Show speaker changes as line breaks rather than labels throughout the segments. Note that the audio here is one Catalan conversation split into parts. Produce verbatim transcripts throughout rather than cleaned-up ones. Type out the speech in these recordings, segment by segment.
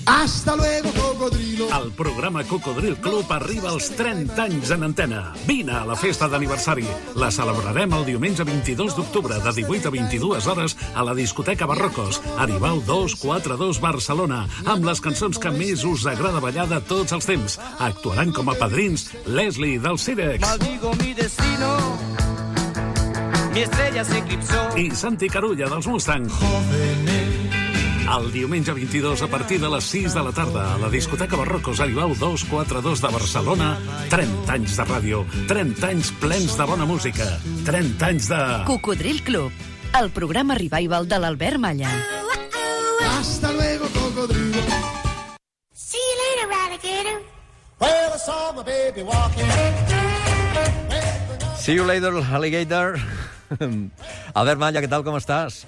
Hasta luego, cocodrilo.
El programa Cocodril Club arriba als trenta anys en antena. Vine a la festa d'aniversari. La celebrarem el diumenge vint-i-dos d'octubre de divuit a vint-i-dues hores a la discoteca Barrocos, Aribau dos quatre dos Barcelona, amb les cançons que més us agrada ballar de tots els temps. Actuaran com a padrins Leslie del Cirex.
Maldigo mi destino, mi estrella se eclipsó.
I Santi Carulla dels Mustang. El diumenge vint-i-dos a partir de les sis de la tarda a la discoteca Barrocos Aribau dos quatre dos de Barcelona. trenta anys de ràdio, trenta anys plens de bona música, trenta anys de...
Cocodril Club, el programa revival de l'Albert Malla.
Hasta luego, cocodrilo.
See you later, alligator.
Well, I saw my baby walking.
See you later, alligator. Albert Malla, què tal, com estàs?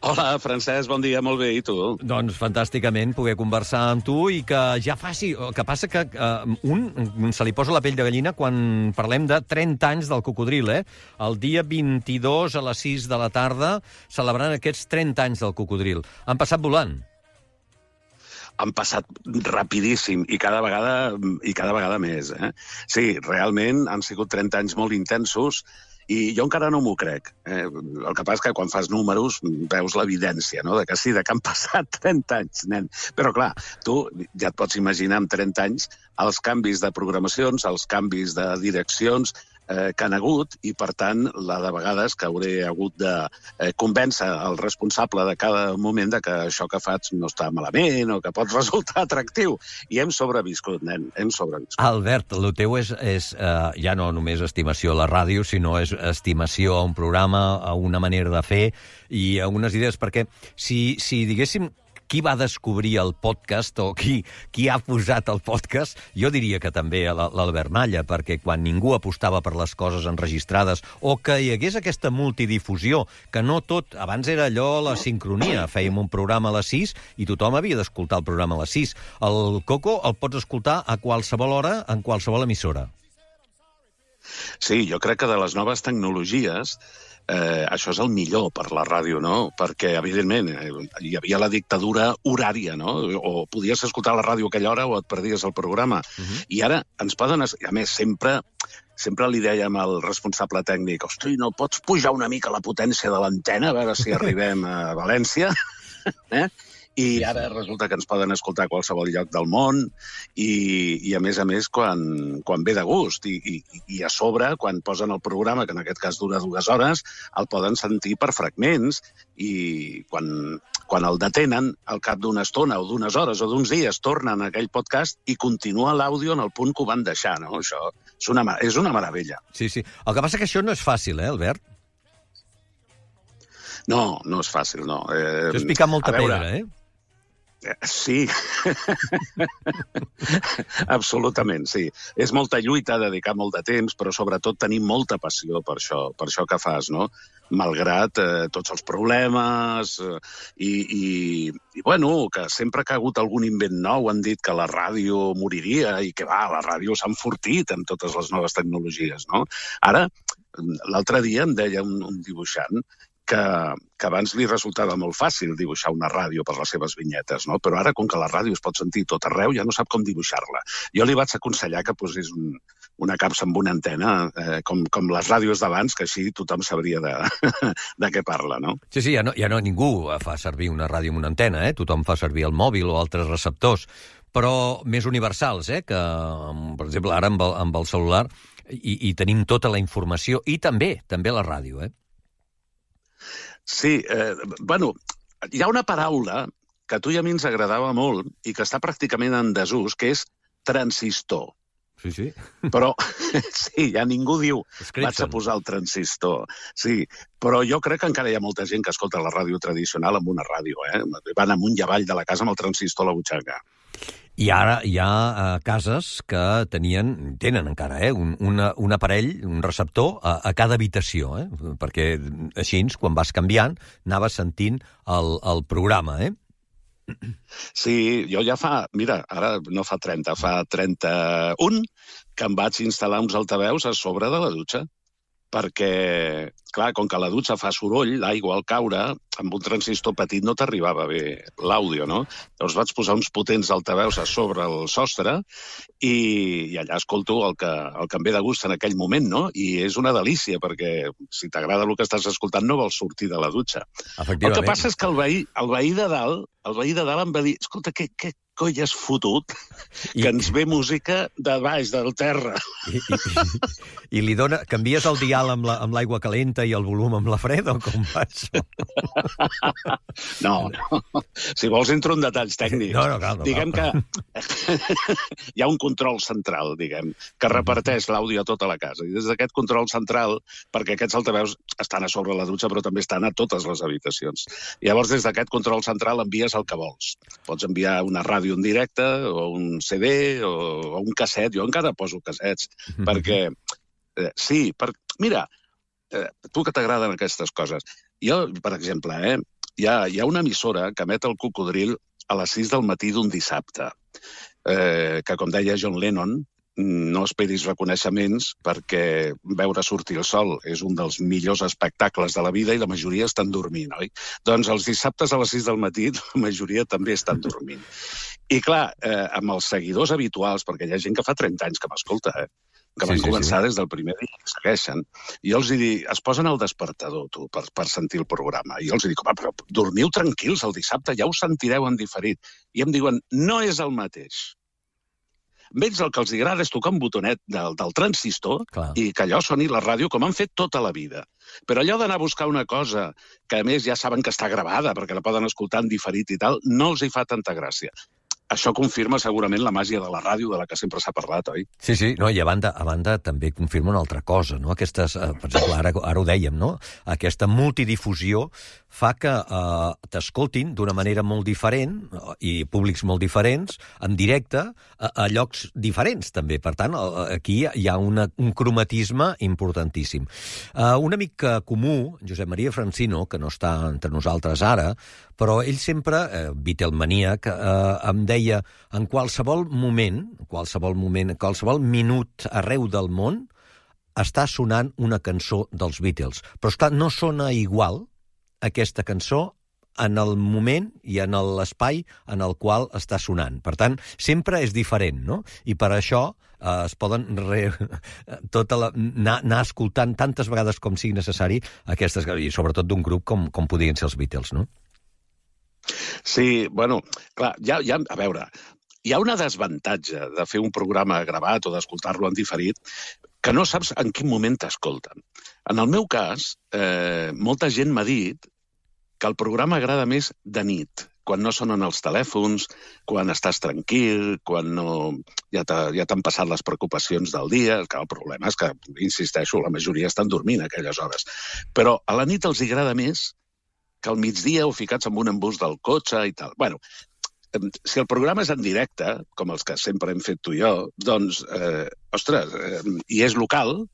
Hola, Francesc, bon dia, molt bé, i tu?
Doncs fantàsticament poder conversar amb tu i que ja faci... El que passa que uh, un se li posa la pell de gallina quan parlem de trenta anys del cocodril, eh? El dia vint-i-dos a les sis de la tarda celebrant aquests trenta anys del cocodril. Han passat volant.
Han passat rapidíssim i cada vegada, i cada vegada més, eh? Sí, realment han sigut trenta anys molt intensos i jo encara no m'ho crec. Eh? El que passa és que quan fas números veus l'evidència, no?, de que sí, de que han passat trenta anys, nen. Però clar, tu ja et pots imaginar amb trenta anys els canvis de programacions, els canvis de direccions eh, que han hagut i, per tant, la de vegades que hauré hagut de eh, convèncer el responsable de cada moment de que això que faig no està malament o que pot resultar atractiu. I hem sobreviscut, nen, hem sobreviscut.
Albert, el teu és, és uh, ja no només estimació a la ràdio, sinó és estimació a un programa, a una manera de fer i a unes idees, perquè si, si diguéssim qui va descobrir el podcast o qui, qui ha posat el podcast, jo diria que també l'Albert Malla, perquè quan ningú apostava per les coses enregistrades o que hi hagués aquesta multidifusió, que no tot, abans era allò la sincronia, fèiem un programa a les sis i tothom havia d'escoltar el programa a les sis. El Coco el pots escoltar a qualsevol hora, en qualsevol emissora.
Sí, jo crec que de les noves tecnologies eh, això és el millor per la ràdio, no? Perquè, evidentment, eh, hi havia la dictadura horària, no? O podies escoltar la ràdio a aquella hora o et perdies el programa. Uh-huh. I ara ens poden... A més, sempre... Sempre li dèiem al responsable tècnic, hosti, no pots pujar una mica la potència de l'antena, a veure si arribem a València? eh? I ara resulta que ens poden escoltar a qualsevol lloc del món i, i a més a més, quan, quan ve de gust. I, i, I a sobre, quan posen el programa, que en aquest cas dura dues hores, el poden sentir per fragments i quan, quan el detenen, al cap d'una estona o d'unes hores o d'uns dies, tornen a aquell podcast i continua l'àudio en el punt que ho van deixar, no? Això és una, és una meravella.
Sí, sí. El que passa que això no és fàcil, eh, Albert?
No, no és fàcil, no. Eh,
això és picar molta pedra, eh?
Sí, absolutament, sí. És molta lluita, dedicar molt de temps, però sobretot tenir molta passió per això, per això que fas, no? Malgrat eh, tots els problemes eh, i, i, i, bueno, que sempre que ha hagut algun invent nou han dit que la ràdio moriria i que, va, la ràdio s'ha enfortit amb totes les noves tecnologies, no? Ara, l'altre dia em deia un, un dibuixant que, que abans li resultava molt fàcil dibuixar una ràdio per les seves vinyetes, no? Però ara, com que la ràdio es pot sentir tot arreu, ja no sap com dibuixar-la. Jo li vaig aconsellar que posés un, una capsa amb una antena, eh, com, com les ràdios d'abans, que així tothom sabria de, de què parla, no?
Sí, sí, ja no, ja no ningú fa servir una ràdio amb una antena, eh? Tothom fa servir el mòbil o altres receptors, però més universals, eh? Que, per exemple, ara amb el, amb el celular i, i tenim tota la informació i també, també la ràdio, eh?
Sí, eh, bueno, hi ha una paraula que a tu i a mi ens agradava molt i que està pràcticament en desús, que és transistor.
Sí, sí.
Però, sí, ja ningú diu, vaig a posar el transistor. Sí, però jo crec que encara hi ha molta gent que escolta la ràdio tradicional amb una ràdio, eh? Van amunt i avall de la casa amb el transistor a la butxaca.
I ara hi ha uh, cases que tenien, tenen encara, eh, un, una, un aparell, un receptor a, a cada habitació, eh, perquè així, quan vas canviant, anaves sentint el, el programa, eh?
Sí, jo ja fa, mira, ara no fa trenta, fa trenta-un que em vaig instal·lar uns altaveus a sobre de la dutxa, perquè, clar, com que la dutxa fa soroll, l'aigua al caure, amb un transistor petit no t'arribava bé l'àudio, no? Llavors vaig posar uns potents altaveus a sobre el sostre i, i allà escolto el que, el que em ve de gust en aquell moment, no? I és una delícia, perquè si t'agrada el que estàs escoltant no vols sortir de la dutxa. El que passa és que el veí, el veí de dalt, el veí de dalt em va dir, escolta, què, què coi has fotut que I... ens ve música de baix, del terra.
I, i, i, i li dona... Canvies el dial amb l'aigua la, calenta i el volum amb la freda o com fas?
No, no. Si vols entro en detalls tècnics.
No, no, cal, no,
diguem cal. que hi ha un control central, diguem, que reparteix l'àudio a tota la casa. I des d'aquest control central, perquè aquests altaveus estan a sobre la dutxa, però també estan a totes les habitacions. I llavors, des d'aquest control central envies el que vols. Pots enviar una ràdio en directe, o un C D, o, o un casset. Jo encara poso cassets, mm-hmm. perquè... Eh, sí, per, mira, eh, tu que t'agraden aquestes coses. Jo, per exemple, eh, hi, ha, hi ha una emissora que emet el Cocodril a les sis del matí d'un dissabte, eh, que, com deia John Lennon, no esperis reconeixements perquè veure sortir el sol és un dels millors espectacles de la vida i la majoria estan dormint, oi? Doncs els dissabtes a les sis del matí la majoria també estan dormint. I clar, eh, amb els seguidors habituals, perquè hi ha gent que fa trenta anys que m'escolta, eh? que van sí, sí, començar sí. des del primer dia que segueixen, i jo els dic, es posen al despertador, tu, per, per sentir el programa. I jo els dic, home, però dormiu tranquils el dissabte, ja ho sentireu en diferit. I em diuen, no és el mateix. Ells el que els agrada és tocar un botonet del, del transistor Clar. I que allò soni la ràdio com han fet tota la vida. Però allò d'anar a buscar una cosa que, a més, ja saben que està gravada perquè la poden escoltar en diferit i tal, no els hi fa tanta gràcia. Això confirma segurament la màgia de la ràdio de la que sempre s'ha parlat, oi?
Sí, sí, no, i a banda, a banda també confirma una altra cosa, no? Aquestes, eh, per exemple, ara, ara ho dèiem, no? Aquesta multidifusió fa que eh, t'escoltin d'una manera molt diferent i públics molt diferents, en directe, a, a llocs diferents, també. Per tant, aquí hi ha una, un cromatisme importantíssim. Eh, un amic comú, Josep Maria Francino, que no està entre nosaltres ara, però ell sempre, eh, Beatlemaníac, eh, em deia, en qualsevol moment, qualsevol moment, qualsevol minut arreu del món, està sonant una cançó dels Beatles. Però, esclar, no sona igual aquesta cançó en el moment i en l'espai en el qual està sonant. Per tant, sempre és diferent, no? I per això eh, es poden re... tota la... anar, anar escoltant tantes vegades com sigui necessari aquestes, i sobretot d'un grup com, com podrien ser els Beatles, no?
Sí, bueno, clar, ja, ja, a veure, hi ha una desavantatge de fer un programa gravat o d'escoltar-lo en diferit que no saps en quin moment t'escolten. En el meu cas, eh, molta gent m'ha dit que el programa agrada més de nit, quan no sonen els telèfons, quan estàs tranquil, quan no, ja t'han passat les preocupacions del dia, que el problema és que, insisteixo, la majoria estan dormint a aquelles hores. Però a la nit els agrada més que al migdia o ficats en un embús del cotxe i tal. Bueno, si el programa és en directe, com els que sempre hem fet tu i jo, doncs, eh, ostres, eh, i és local,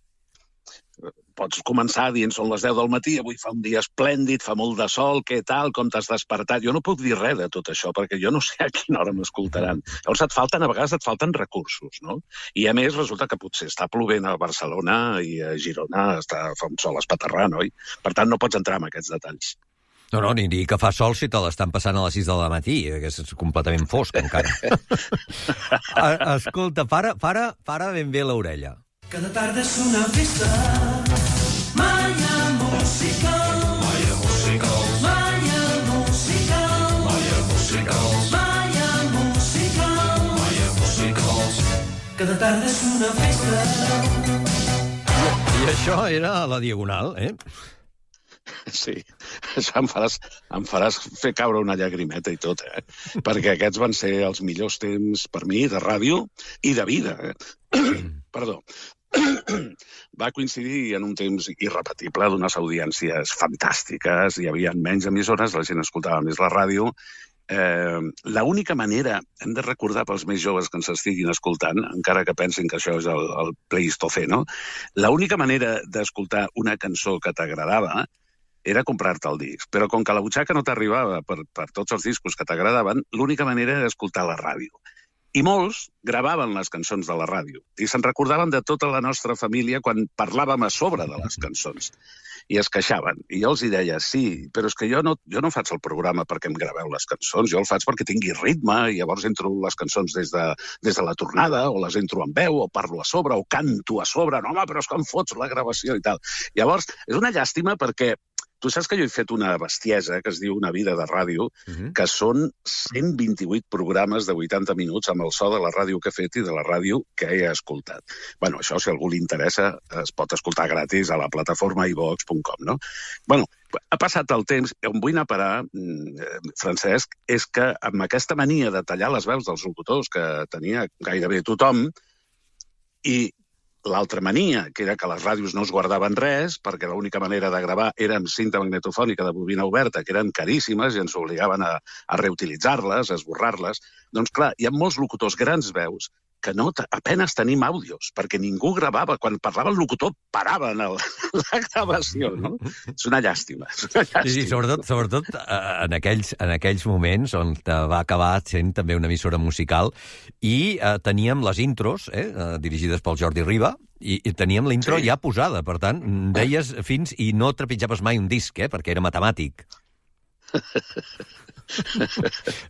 pots començar dient són les deu del matí, avui fa un dia esplèndid, fa molt de sol, què tal, com t'has despertat? Jo no puc dir res de tot això, perquè jo no sé a quina hora m'escoltaran. Llavors et falten, a vegades et falten recursos, no? I a més resulta que potser està plovent a Barcelona i a Girona està, fa un sol espaterrant, oi? Per tant, no pots entrar en aquests detalls.
No, no, ni dir que fa sol si te l'estan passant a les sis del matí, que és completament fosc, encara. Escolta, para, para, para ben bé l'orella.
Cada tarda és una festa, mai hi ha música, mai hi ha música, mai hi ha música, mai hi ha música, mai hi ha música, mai hi ha música. Cada tarda és una festa.
I això era a la Diagonal, eh?
Sí, això em faràs, em faràs fer caure una llagrimeta i tot, eh? Perquè aquests van ser els millors temps per mi de ràdio i de vida, eh? Perdó. Va coincidir en un temps irrepetible d'unes audiències fantàstiques, hi havia menys emissores, la gent escoltava més la ràdio. Eh, l'única manera, hem de recordar pels més joves que ens estiguin escoltant, encara que pensin que això és el, el Pleistocè, no? L'única manera d'escoltar una cançó que t'agradava era comprar-te el disc. Però com que la butxaca no t'arribava per, per tots els discos que t'agradaven, l'única manera era escoltar la ràdio. I molts gravaven les cançons de la ràdio i se'n recordaven de tota la nostra família quan parlàvem a sobre de les cançons. I es queixaven. I jo els hi deia, sí, però és que jo no, jo no faig el programa perquè em graveu les cançons, jo el faig perquè tingui ritme i llavors entro les cançons des de, des de la tornada, o les entro en veu, o parlo a sobre, o canto a sobre. No, home, però és que em fots la gravació i tal. Llavors, és una llàstima perquè tu saps que jo he fet una bestiesa que es diu Una vida de ràdio, uh-huh. que són cent vint-i-vuit programes de vuitanta minuts amb el so de la ràdio que he fet i de la ràdio que he escoltat. Bueno, això, si a algú li interessa, es pot escoltar gratis a la plataforma i vox punt com, no? Bueno, ha passat el temps, on vull anar a parar, Francesc, és que amb aquesta mania de tallar les veus dels locutors que tenia gairebé tothom, i l'altra mania, que era que les ràdios no es guardaven res, perquè l'única manera de gravar era amb cinta magnetofònica de bobina oberta, que eren caríssimes i ens obligaven a, a reutilitzar-les, a esborrar-les. Doncs clar, hi ha molts locutors grans veus que no, apenas tenim àudios, perquè ningú gravava. Quan parlava el locutor, paraven el, la gravació, no? És una llàstima. És una llàstima.
Sí, sí, sobretot, sobretot en, aquells, en aquells moments on va acabar sent també una emissora musical i eh, teníem les intros, eh, dirigides pel Jordi Riba, i, i teníem la intro sí. ja posada. Per tant, deies fins i no trepitjaves mai un disc, eh, perquè era matemàtic.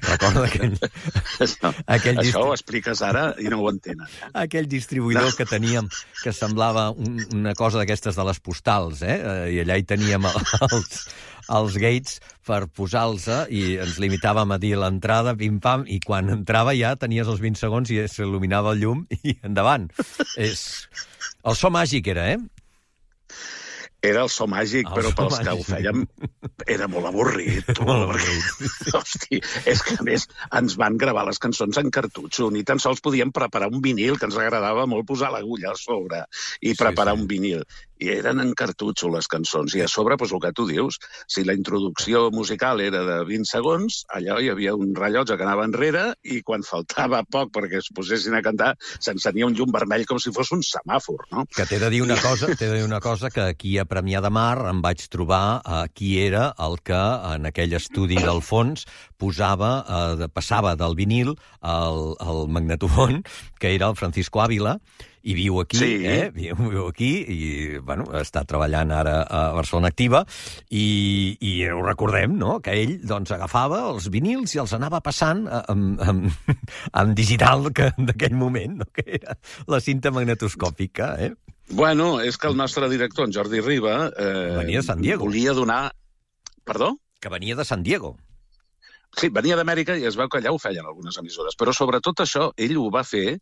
Recorda aquell...
No, aquell això distri... ho expliques ara i no ho entenen. Eh?
Aquell distribuïdor no. que teníem, que semblava un, una cosa d'aquestes de les postals, eh? I allà hi teníem els, els gates per posar-los i ens limitàvem a dir l'entrada, pim-pam, i quan entrava ja tenies els vint segons i s'il·luminava el llum i endavant. És... El so màgic era, eh?
Era el so màgic, el però so pels màgic. Que ho fèiem era molt avorrit. Molt avorrit. Hosti, és que a més ens van gravar les cançons en cartutxo, ni tan sols podíem preparar un vinil, que ens agradava molt posar l'agulla a sobre i preparar sí, sí. un vinil. I eren en cartutxo les cançons. I a sobre, doncs el que tu dius, si la introducció musical era de vint segons, allò hi havia un rellotge que anava enrere i quan faltava poc perquè es posessin a cantar, s'encenia un llum vermell com si fos un semàfor, no?
Que t'he de dir una cosa, t'he de dir una cosa que aquí a Premià de Mar em vaig trobar eh, qui era el que en aquell estudi del fons posava, eh, passava del vinil al, al magnetofon, que era el Francisco Ávila, i viu aquí, sí. eh? Viu, viu aquí, i, bueno, està treballant ara a Barcelona Activa, i, i ho recordem, no?, que ell, doncs, agafava els vinils i els anava passant amb, amb, amb digital d'aquell moment, no?, que era la cinta magnetoscòpica, eh?
Bueno, és que el nostre director, en Jordi Riba, eh,
venia de San Diego.
Volia donar... Perdó?
Que venia de San Diego.
Sí, venia d'Amèrica i es veu que allà ho feien algunes emissores, però sobretot això, ell ho va fer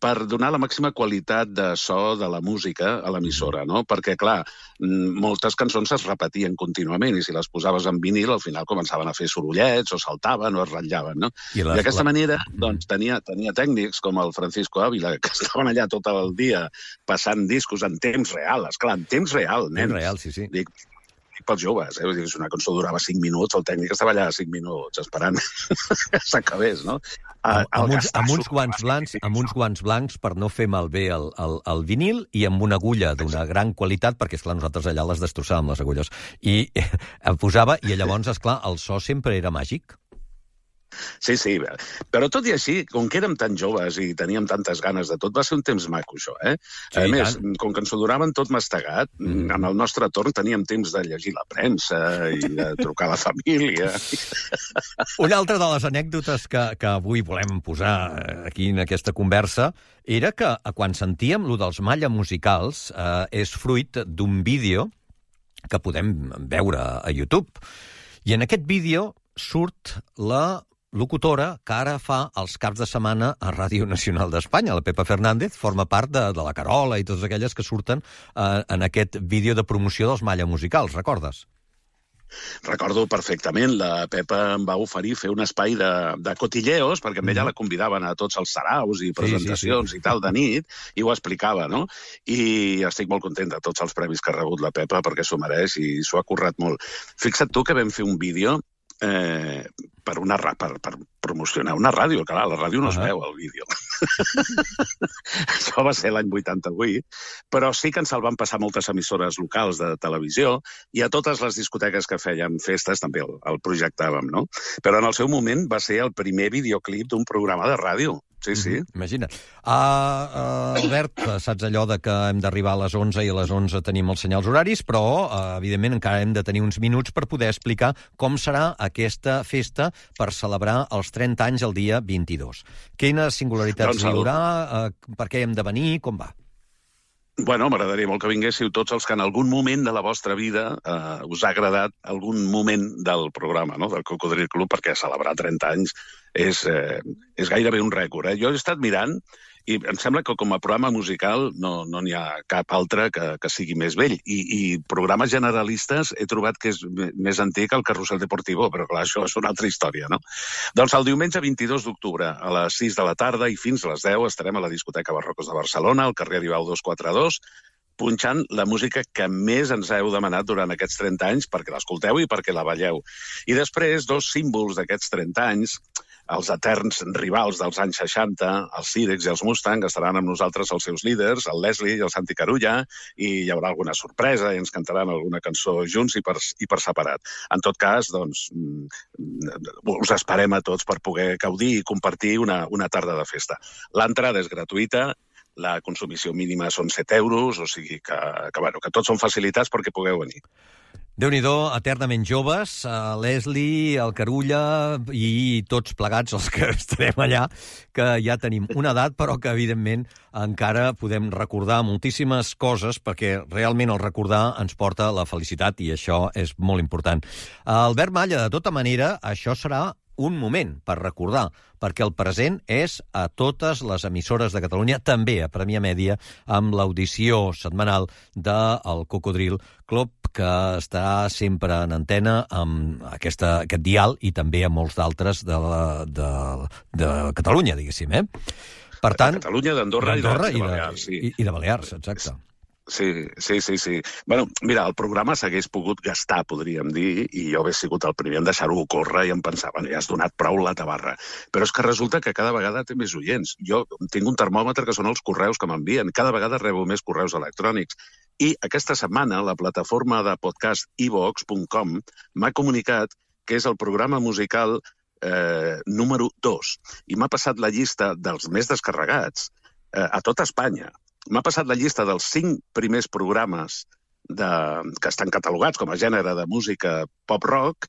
per donar la màxima qualitat de so de la música a l'emissora, no? Perquè, clar, moltes cançons es repetien contínuament i si les posaves en vinil, al final començaven a fer sorollets o saltaven o es ratllaven, no? I, les, I d'aquesta la... manera, doncs, tenia, tenia tècnics com el Francisco Ávila, que estaven allà tot el dia passant discos en temps real, esclar, en temps real, nens.
Temps real, sí, sí.
Dic, pels joves, eh? Si una cançó durava cinc minuts, el tècnic estava allà cinc minuts esperant que s'acabés, no?
El, amb, uns, amb, uns guants blancs, amb uns guants blancs per no fer malbé el, el, el vinil i amb una agulla d'una gran qualitat, perquè, esclar, nosaltres allà les destrossàvem, les agulles. I eh, em posava, i llavors, esclar, el so sempre era màgic.
Sí, sí, però tot i així, com que érem tan joves i teníem tantes ganes de tot, va ser un temps maco, això, eh? Sí, a més, tant. Com que ens ho donaven tot mastegat, mm. en el nostre torn teníem temps de llegir la premsa i de trucar a la família.
Una altra de les anècdotes que, que avui volem posar aquí en aquesta conversa era que quan sentíem lo dels Malla musicals eh, és fruit d'un vídeo que podem veure a YouTube. I en aquest vídeo surt la locutora que ara fa els caps de setmana a Ràdio Nacional d'Espanya. La Pepa Fernández forma part de, de la Carola i totes aquelles que surten eh, en aquest vídeo de promoció dels Malla musicals, recordes?
Recordo perfectament, la Pepa em va oferir fer un espai de, de cotilleos, perquè amb ella la convidaven a tots els saraus i presentacions sí, sí, sí. i tal de nit, i ho explicava, no? I estic molt content de tots els premis que ha rebut la Pepa, perquè s'ho mereix i s'ho ha currat molt. Fixa't tu que vam fer un vídeo eh, per, una, per, per promocionar una ràdio. Clar, la ràdio no es uh-huh. veu, el vídeo. Això va ser l'any vuitanta-vuit, però sí que ens el van passar moltes emissores locals de televisió i a totes les discoteques que fèiem festes també el, el projectàvem, no? Però en el seu moment va ser el primer videoclip d'un programa de ràdio. sí, sí.
Mm-hmm. Imagina't. Uh, uh, Albert, saps allò de que hem d'arribar a les onze i a les onze tenim els senyals horaris, però, uh, evidentment, encara hem de tenir uns minuts per poder explicar com serà aquesta festa per celebrar els trenta anys el dia vint-i-dos. Quines singularitats
Doncs
hi
el-
haurà? Uh, per què hem de venir? Com va?
Bueno, m'agradaria molt que vinguéssiu tots els que en algun moment de la vostra vida eh, us ha agradat algun moment del programa, no?, del Cocodril Club, perquè celebrar trenta anys és, eh, és gairebé un rècord. Eh? Jo he estat mirant i em sembla que com a programa musical no no n'hi ha cap altre que, que sigui més vell. I, I programes generalistes he trobat que és més antic el Carrusel Deportivo, però clar, això és una altra història, no? Doncs el diumenge vint-i-dos d'octubre a les sis de la tarda i fins a les deu estarem a la discoteca Barrocos de Barcelona, al carrer Aribau dos cents quaranta-dos, punxant la música que més ens heu demanat durant aquests trenta anys perquè l'escolteu i perquè la balleu. I després, dos símbols d'aquests trenta anys, els eterns rivals dels anys seixanta, els Cirex i els Mustang, estaran amb nosaltres els seus líders, el Leslie i el Santi Carulla, i hi haurà alguna sorpresa i ens cantaran alguna cançó junts i per, i per separat. En tot cas, doncs, us esperem a tots per poder gaudir i compartir una, una tarda de festa. L'entrada és gratuïta, la consumició mínima són set euros, o sigui que, que, bueno, que tots són facilitats perquè pugueu venir.
Déu-n'hi-do, eternament joves, uh, Leslie, el Carulla i tots plegats els que estarem allà, que ja tenim una edat, però que, evidentment, encara podem recordar moltíssimes coses, perquè realment el recordar ens porta a la felicitat, i això és molt important. Uh, Albert Malla, de tota manera, això serà un moment per recordar, perquè el present és a totes les emissores de Catalunya, també a Premià Mèdia, amb l'audició setmanal del Cocodril Club, que està sempre en antena amb aquesta, aquest dial i també amb molts d'altres de, la, de, de Catalunya, diguéssim. Eh? Per tant,
de Catalunya, d'Andorra i de,
i,
de Balears. Sí.
I, I de Balears, exacte.
Sí, sí, sí, sí. Bueno, mira, el programa s'hagués pogut gastar, podríem dir, i jo hauria sigut el primer en deixar-ho córrer i em pensava, bueno, ja has donat prou la tabarra. Però és que resulta que cada vegada té més oients. Jo tinc un termòmetre que són els correus que m'envien. Cada vegada rebo més correus electrònics. I aquesta setmana la plataforma de podcast i vox punt com m'ha comunicat que és el programa musical eh, número dos. I m'ha passat la llista dels més descarregats eh, a tota Espanya. M'ha passat la llista dels cinc primers programes de, que estan catalogats com a gènere de música pop-rock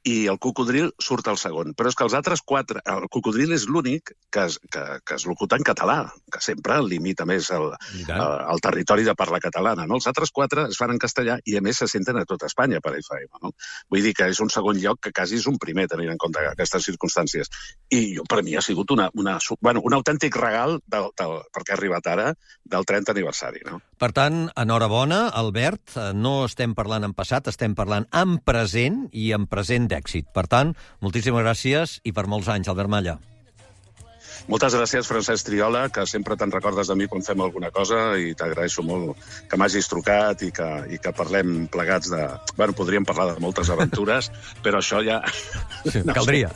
i el Cocodril surt al segon. Però és que els altres quatre... El Cocodril és l'únic que es, que, que es locuta en català, que sempre limita més el, el, el territori de parla catalana. No? Els altres quatre es fan en castellà i, a més, se senten a tot Espanya per F M. No? Vull dir que és un segon lloc que quasi és un primer, tenint en compte aquestes circumstàncies. I jo, per mi ha sigut una, una, bueno, un autèntic regal, del, del, perquè ha arribat ara, del trenta aniversari. No?
Per tant, enhorabona, Albert. No estem parlant en passat, estem parlant en present i en present d'èxit. Per tant, moltíssimes gràcies i per molts anys, Albert Malla.
Moltes gràcies, Francesc Triola, que sempre te'n recordes de mi quan fem alguna cosa i t'agraeixo molt que m'hagis trucat i que, i que parlem plegats de... Bueno, podríem parlar de moltes aventures, però això ja...
Sí, no caldria.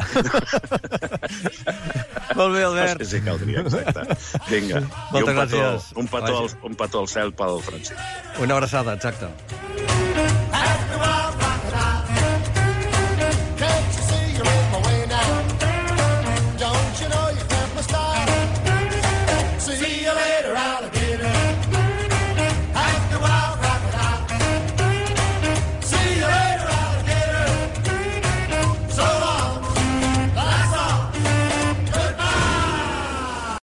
Molt bé, Albert.
Sí, sí, caldria, exacte. Vinga.
Moltes gràcies.
Un petó, un petó al cel pel Francesc.
Una abraçada, exacte.